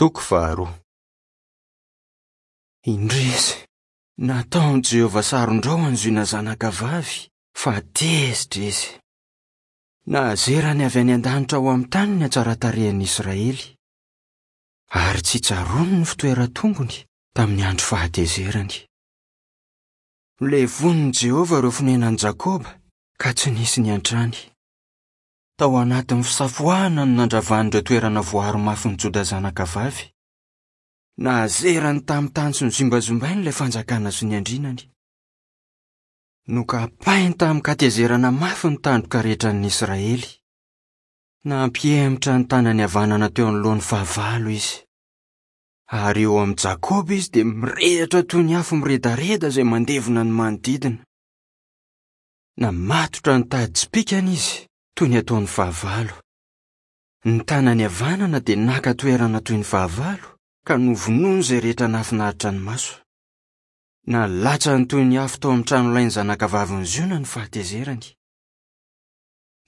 Toko faharoa. Indrisy! Nataon'i Jehovah saron-drahona ny Ziona zanakavavy, fa tezitra izy. Nahazerany avy any an-danitra ho amin'ny tany ny hatsaran-tarehin'ny Israely. Ary tsy tsaroany ny fitoeran-tongony tamin'ny andro fahatezerany. Nolevonin'i Jehovah ireo fonenan'i Jakoba, ka tsy nisy niantrany. Tao anatin'ny fisafoahana no nandravany ireo toerana voaaro mafin'i Joda zanakavavy. Nahazerany tamin'ny tany sy nozimbazimbainy ilay fanjakana sy ny andrinany. Nokapainy tamin-katezerana mafy ny tandroka rehetran'ny Israely. Nampihemotra ny tanany havanana teo anoloan'ny fahavalo izy. Ary eo amin'i Jakoba izy dia mirehitra toy ny afo miredareda izay mandevona ny manodidina. Namatotra ny tady tsipìkany izy, toy ny ataon'ny fahavalo. Ny tanany havanana dia naka toerana toy ny fahavalo, ka novonoiny izay rehetra nahafinaritra ny maso. Nalatsany toy ny afo tao amin'ny tranolain'ny zanakavavin'i Ziona ny fahatezerany.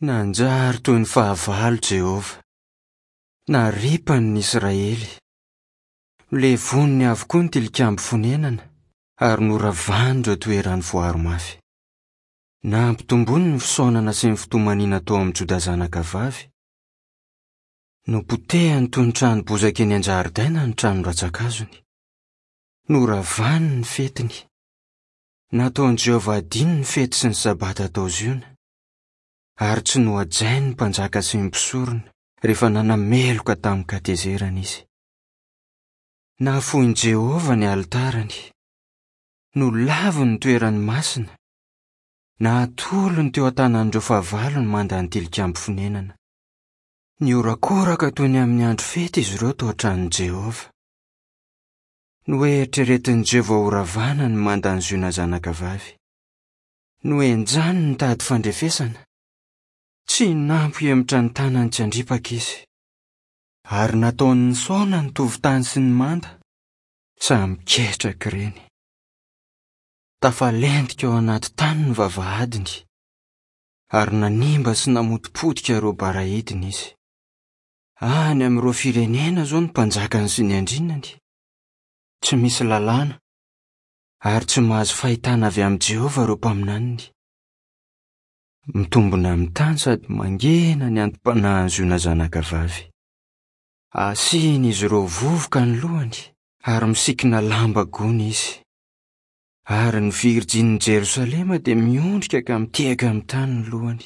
Nanjary toy ny fahavalo Jehovah. Naripany ny Israely. Nolevoniny avokoa ny tilikambo fonenana, ary noravany ireo toerany voaro mafy. Nampitomboiny ny fisaonana sy ny fitomaniana tao amin'i Joda zanakavavy. Nopotehiny toy ny trano bozaka eny an-jaridaina ny trano rantsankazony. Noravany ny fetiny. Nataon'i Jehovah hadino ny fety sy ny Sabata tao Ziona, ary tsy nohajainy ny mpanjaka sy ny mpisorona rehefa nanameloka tamin-katezerana izy. Nafoin'i Jehovah ny alitarany. Nolaviny ny toerany masina. Natolony teo an-tanan'ireo fahavalo ny mandan'ny tilikambo fonenana. Nihorakoraka toy ny amin'ny andro fety izy ireo tao an-tranon'i Jehovah. Noeritreretin'i Jehovah horavana ny mandan'i Ziona zanakavavy. Nohenjaniny ny tady fandrefesana. Tsy nampihemotra ny tanany tsy handripaka izy. Ary nataony nisaona ny tovon-tany sy ny manda, samy ketraka ireny. Tafalentika ao anaty tany ny vavahadiny, ary nanimba sy namotipotika ireo barahidiny izy. Any amin'ireo firenena izao ny mpanjakany sy ny andrinany. Tsy misy lalàna, ary tsy mahazo fahitana avy amin'i Jehovah ireo mpaminaniny. Mitombina amin'ny tany sady mangina ny antom-panahin'i Ziona zanakavavy. Asian'izy ireo vovoka ny lohany ary misikina lamba gony izy. Ary ny virjinin'i Jerosalema dia miondrika ka mitehaka amin'ny tany ny lohany.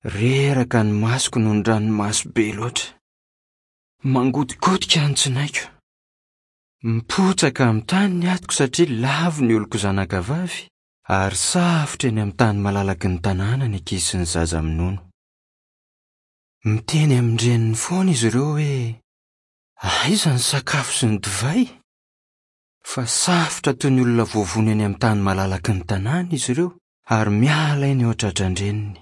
Reraka ny masoko noho ny ranomaso be loatra. Mangotigotika ny tsinaiko. Mipotsaka amin'ny tany ny atiko satria lavo ny oloko zanakavavy ary safotra eny amin'ny tany malalaky ny tanàna ny ankizy sy ny zaza minono. Miteny amin-dreniny foana izy ireo hoe, Aiza ny sakafo sy ny divay? Fa safotra toy ny olona voavono eny amin'ny tany malalaky ny tanàna izy ireo ary miala aina eo an-tratran-dreniny.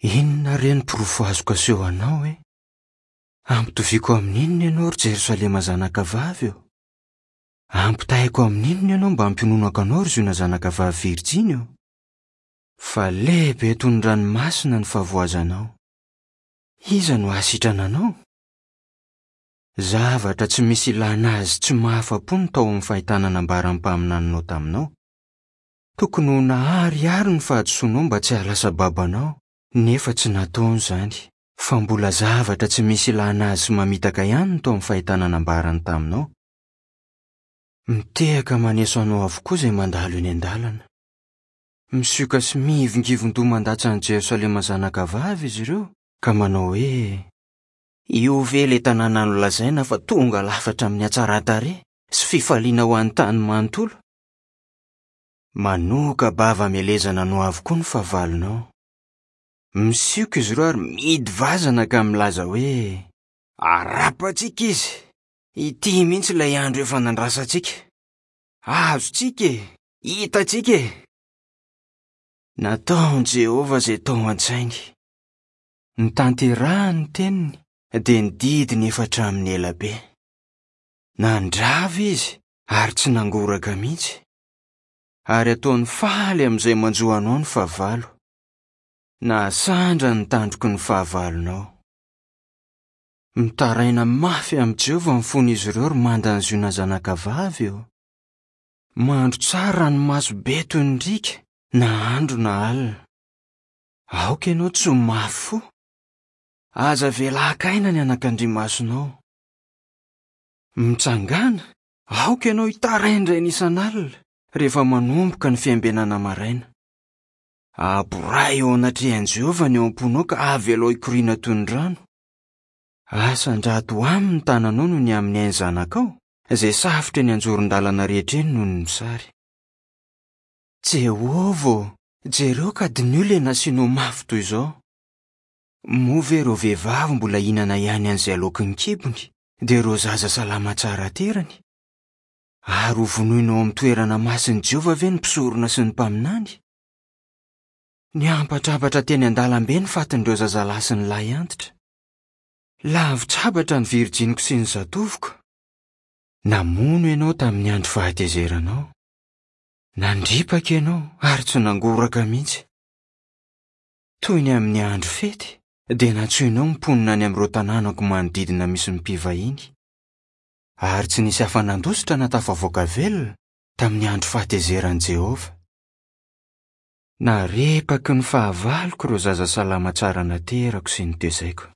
Inona re ny porofo azoko aseho anao e? Ampitoviako amin'inona ianao, ry Jerosalema zanakavavy ô? Ampitahaiko amin'inona ianao mba hampiononako anao, ry Ziona zanakavavy virjiny ô? Fa lehibe toy ny ranomasina ny fahavoazanao. Iza no hahasitrana anao? Zavatra tsy misy ilana azy tsy mahafa-po ny tao amin'ny fahitana nambaran'ny mpaminaninao taminao. Tokony ho naharihary ny fahadisoanao mba tsy hahalasa babo anao, nefa tsy nataony izany, fa mbola zavatra tsy misy ilana azy sy mamitaka ihany ny tao amin'ny fahitana nambarany taminao. Mitehaka maneso anao avokoa izay mandalo eny an-dalana. Misioka sy mihivingivin-doha mandatsa an'i Jerosalema zanakavavy izy ireo, ka manao hoe, Io ve ilay tanàna nolazaina fa tonga lafatra amin'ny hatsaran-tarehy sy fifaliana ho an'ny tany manontolo? Manoka-bava hamelezana anao avokoa ny fahavalonao. Misioka izy ireo ary mihidy vazana ka milaza hoe, Harapantsika izy! Ity mihitsy ilay andro efa nandrasantsika. Azontsika e! Hitantsika e! Nataon'i Jehovah izay tao an-tsainy. Notanterahiny ny teniny, dia ny didiny efa hatramin'ny ela be. Nandrava izy ary tsy nangoraka mihitsy. Ary ataony faly amin'izay manjo anao ny fahavalo. Nahasandra ny tandroky ny fahavalonao. Mitaraina mafy amin'i Jehovah ny fon'izy ireo ry mandan'i Ziona zanakavavy ô. Mandro tsara ranomaso be toy ny riaka, na andro na alina. Aoka ianao tsy ho mafy fo. Aza avela haka aina ny anakandriamasonao. Mitsangàna, aoka ianao hitaraindraina isan'alina, rehefa manomboka ny fiambenana maraina. Aborahy eo anatrehan'i Jehovah ny ao am-ponao ka avelao hikoriana toy ny rano. Asandrato aminy ny tananao noho ny amin'ny ain'ny zanakao, izay safotra eny an-joron-dalana rehetra eny noho ny mosary. Jehovah ô, jereo ka diniho ilay nasianao mafy toy izao. Moa ve ireo vehivavy mbola hihinana ihany an'izay aloaky ny kibony, dia ireo zaza salama tsara aterany? Ary hovonoina ao amin'ny toerana masin'i Jehovah ve ny mpisorona sy ny mpaminany? Niampatrampatra teny an-dalambe ny fatin'ireo zazalahy sy ny lahy antitra. Lavitsabatra ny virjiniko sy ny zatovoko. Namono ianao tamin'ny andro fahatezeranao. Nandripaka ianao ary tsy nangoraka mihitsy. Toy ny amin'ny andro fety, dia nantsoinao ny mponina any amin'ireo tanànako manodidina misy ny mpivahiny. Ary tsy nisy afa-nandositra na tafavoaka velona tamin'ny andro fahatezeran'i Jehovah. Narepaky ny fahavaloko ireo zaza salama tsara naterako sy notezaiko.